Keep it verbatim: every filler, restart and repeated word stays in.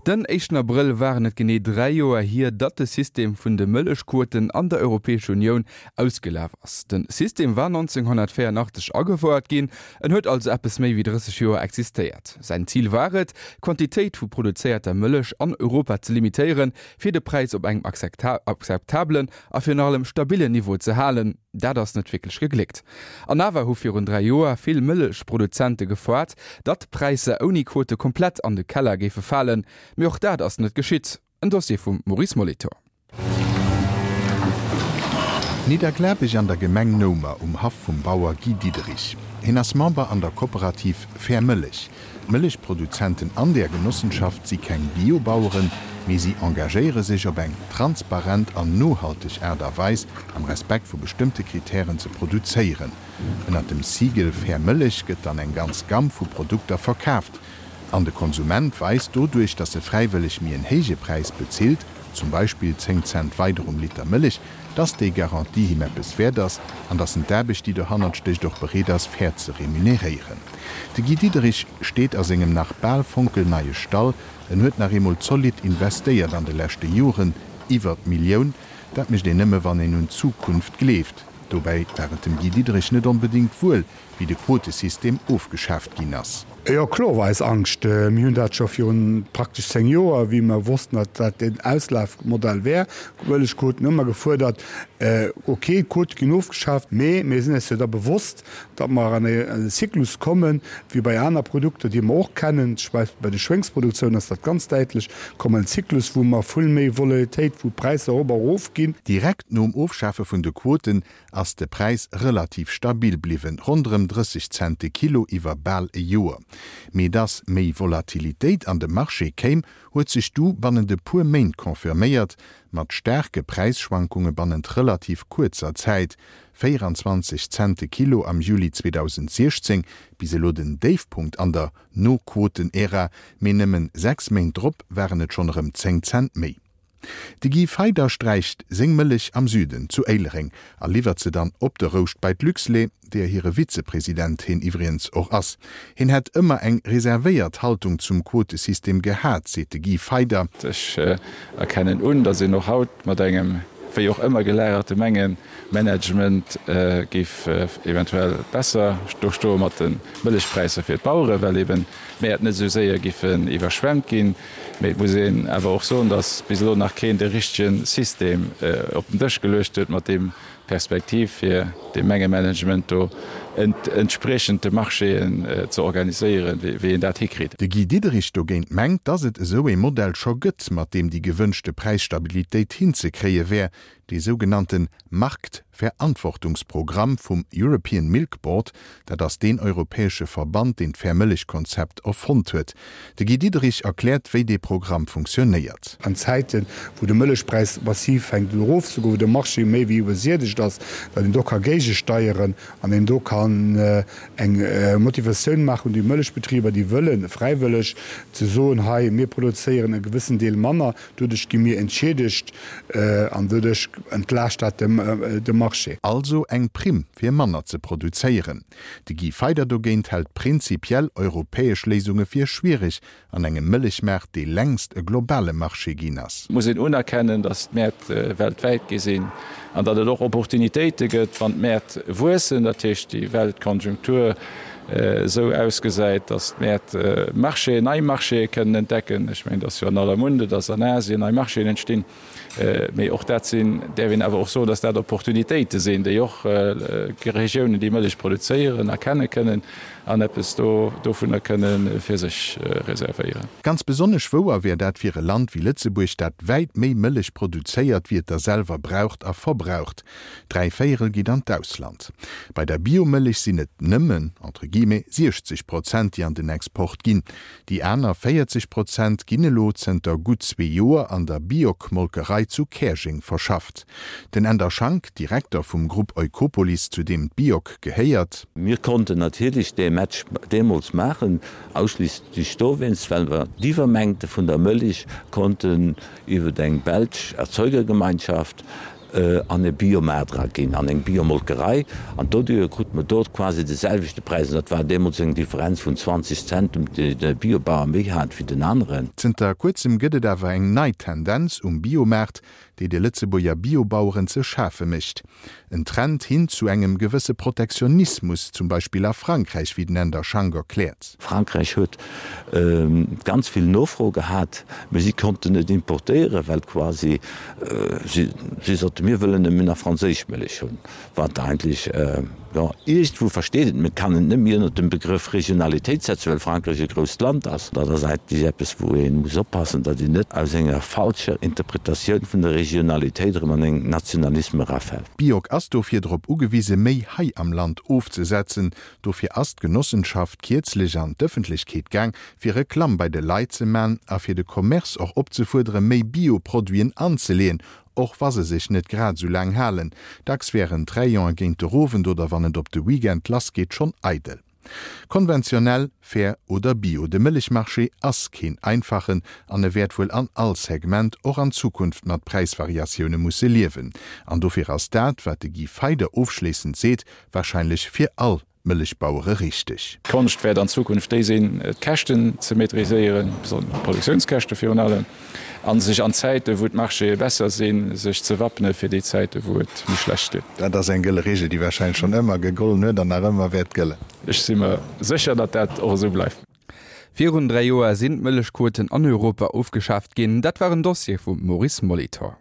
Den éischten Abrëll waren et genee dräi Joer hier, datt de System vun de Mëllechquoten an der Europäescher Unioun ausgelaf ass. De System war nonzénghonnertvéierundachtzeg agefouert ginn, en huet also eppes méi wéi drësseg Joer existéiert. Säin Zil war et, d'Quantitéit vu produzéierter Mëllech an Europa ze limitéieren, fir de Präis op engem akzeptabelen a virun allem stabillen Niveau ze halen. Dat ass net wierklech gegléckt. An awer hu virun dräi Joer vill Mëllechproduzente gefoart, datt d'Präisser ouni Quote komplett an de Keller géife falen. Mee och dat ass net geschitt. En Dossier vum Maurice Molitor. Nidderglabech an der Gemeng Noumer um Haff vum Bauer Guy Diederich. Hien ass Member an der Kooperativ Fair Mëllech. D'Mëllechproduzenten an där Genossenschaft si keng Biobaueren, mee si engagéiere sech op eng transparent an nohalteg Aart a Weis am Respekt vu bestëmmte Kritären ze produzéieren. Ënnert dem Siegel Fair Mëllech gëtt dann eng ganz Gamm vu Produkter verkaaft. An de Konsument weist doduerch, dass e fräiwëlleg méi en héije Präis bezilt, zum Beispill zéng Cent weider um Liter Mëllech, dass déi Garantie him eppes wäert ass an dass en d'Aarbecht, déi dohannert stécht, och bereet ass, fair ze remuneréieren. De Guy Diederich steet a sengem nach bal fonkelneie Stall. En huet nach eemol zolidd investéiert an de leschte Joren, iwwer d'Millioun. Dat mécht een nëmme wann een un d'Zukunft gleeft. Dobäi war et dem Guy Diederich net onbedéngt wuel, wéi de Quotesystem ofgeschaaft ginn ass. Jo, kloer war eis Angscht. Mir hunn dat scho virun praktesch zéng Joer, wéi mer wossten, datt dat den Auslafmodell wär, d'Mëllechquoten, hu mer gefuerdert, ok, d'Quote ginn ofgeschaaft, mee mir sinn eis jo da bewosst, datt mer an e Zyklus kommen, wéi bei aner Produkter, déi mer och kennen, zum Beispill bei de Schwéngsproduktioun ass dat ganz däitlech, kommen en Zyklus, wou mer vill méi Volatilitéit, wou d'Präisser erop a erof ginn. Direkt nom Ofschafe vun de Quoten ass de Präis relativ stabil bliwwen, ronderëm drësseg Cent de Kilo iwwer bal e Joer. Mee dass méi Volatilitéit an de Marché kéim, huet sech du bannent e puer Méint confirméiert, mat staarke Präisschwankunge bannent relativ kuerzer Zäit, véieranzwanzeg Cent de Kilo am Juli zweedausentsiechzéng, bis elo den Déifpunkt an der No-Quoten-Ära, mee nëmmen sechs Méint drop waren et schonn erëm zéng Cent méi. De Guy Feyder sträicht seng Mëllech am Süden, zu Éilereng, a liwwert se dann op de Rouscht bei d'Luxlait, deeër hire Vizepresident hien iwwregens och ass. Hien hätt ëmmer eng reservéiert Haltung zum Quotesystem gehat, seet de Guy Feyder. Ech erkennen un, datt een och haut mat engem wéi och ëmmer gelagerte Mengemanagement géif eventuell besser do stoe mat de Mëllechpräisser fir d'Baueren, well eben d'Mäert net esou séier giffen iwwerschwemmt ginn. Mee et muss een awer och soen, datt bis elo nach keen de richtege System op den Dësch geluecht huet, mat deem d'Perspektiv fir de Mengemanagement do entspriechend de Marchéen ze organiséieren, wéi een dat hikritt. De Guy Diderich dogéint mengt, datt et esou ee Modell scho gëtt, mat deem déi gewënschte Präisstabilitéit hinzekréie wär, dee sougenannte Marktverantwortungsprogramm vum European Milk Board, dat ass deen europäesche Verband, deen d'Fair-Mëllech-Konzept erfonnt huet. De Guy Diderich erkläert, wéi dee Programm funktionéiert. An Zäiten, wou de Mëllechpräis massiv fänkt un erofzegoen, wou de Marché méi wéi iwwersiedegt ass, datt een do ka géigesteieren an een do kann eng Motivatioun maachen un déi Mëllechbetriber, déi wëllen, fräiwëlleg ze soen, hei mir produzéieren e gewëssen Deel manner, doduerch gi mir entschiedegt an doduerch entlaascht dat de Marché. Also eng Primm fir manner ze produzéieren. De Guy Feyder dogéint hält prinzipiell europäesch Léisunge fir schwiereg an engem Mëllechmaart, dee längst e globale Marché ginn ass. Et muss een unerkennen, datt d'Mäert weltwäit gi sinn an datt et och Opportunitéite gëtt, wann d'Mäert wuessen, dat heescht déi Weltkonjunktur esou ausgesäit, datt d'Mäert Marchéen, nei Marchéë kënnen entdecken. Ech mengen, et ass jo an aller Munde, datt an Asien nei Marchéen entstinn. Mee och dat sinn, däerf een awer och soen, datt dat Opportunitéite sinn, déi och Regiounen, déi Mëllech produzéieren, erkenne kënnen an eppes do dovunner kënne fir sech reservéieren. Ganz besonnesch wouer wär dat fir e Land wéi Lëtzebuerg, dat wäit méi Mëllech produzéiert, wéi et der selwer braucht a verbraucht. Dräi Véierel geet an d'Ausland. Bei der Biomëllech sinn et nëmmen, entre guillemets, siechzeg Prozent, déi an den Export ginn. Déi aner véierzeg Prozent ginn elo zënter gutt zwee Joer an der Biok-Molkerei zu Käerjeng verschafft. Den Änder Schank, Direkter vum Grupp Eukopolis, zu deem d'Biok gehéiert. Mir konnten natierlech dee Match deemools maachen, ausschliisslech dowéinst, well mer d'Iwwermengte vun der Mëllech konnten iwwer eng belsch Erzeugergemeinschaft an e Biomaart era ginn, an eng Biomolkerei, an doduerjer krute mer dort quasi de selwechte Präis, an dat war deemools eng Differenz vun zwanzeg Cent, déi de Biobauer méi hat wéi den aneren. Zënter kuerzem gëtt et awer eng nei Tendenz um Biomaart, déi de Lëtzebuerger Biobaueren ze schafe mécht. En Trend hin zu engem gewësse Protektionismus, zum Beispill a Frankräich, wéi den Änder Schank erkläert. Frankräich huet ganz vill Nofro gehat, mee si konnten net importéieren, well quasi si soten, mir wëllen nëmmen nach franséisch Mëllech hunn, wat eigentlech, jo, iergendwou versteet een et, mee et kann een et net méi ënnert dem Begrëff Regionalitéit setzen, well Frankräich e grousst Land ass. Dat ass eigentlech eppes, wou ee muss oppassen, datt een net aus enger falscher Interpretatioun vun der Regionalitéit erëm an eng Nationalisme erafält. D'Bioc ass dofir drop ugewise méi hei am Land ofzesetzen. Dofir ass d'Genossenschaft kierzlech an d'Ëffentlechkeet gaang, fir Reklamm bei de Leit ze man a fir de Commerce och opzefuerdere méi Bio-Produiten anzeleeën, och wa se sech net grad esou laang halen. Dacks wären d'Rayonen géint de Owend oder wann et op de Weekend lassgeet schonn eidel. Konventionell, fair oder bio, de Mëllechmarché ass keen einfachen an e wäert wuel an all Segment och an Zukunft mat Präisvariatioune musse liewen. An dofir ass dat, wat de Guy Feyder ofschléissend seet, warscheinlech fir all Mëllechbauere richteg. D'Konscht wäert an Zukunft déi sinn, d'Käschten ze maîtriséieren, d'Produktiounskäschte virun allem, a sech an Zäiten, wou d'Marchéë besser sinn, sech ze wappne fir déi Zäiten, wou et méi schlecht geet. Dat ass eng gëlle Regel, déi warscheinlech schonn ëmmer gegollen huet an nach ëmmer wäert gëllen. Ech si mer sécher, datt dat och esou bleift. Virun dräi Joer sinn d'Mëllechquoten an Europa ofgeschaaft ginn. Dat war en Dossier vum Maurice Molitor.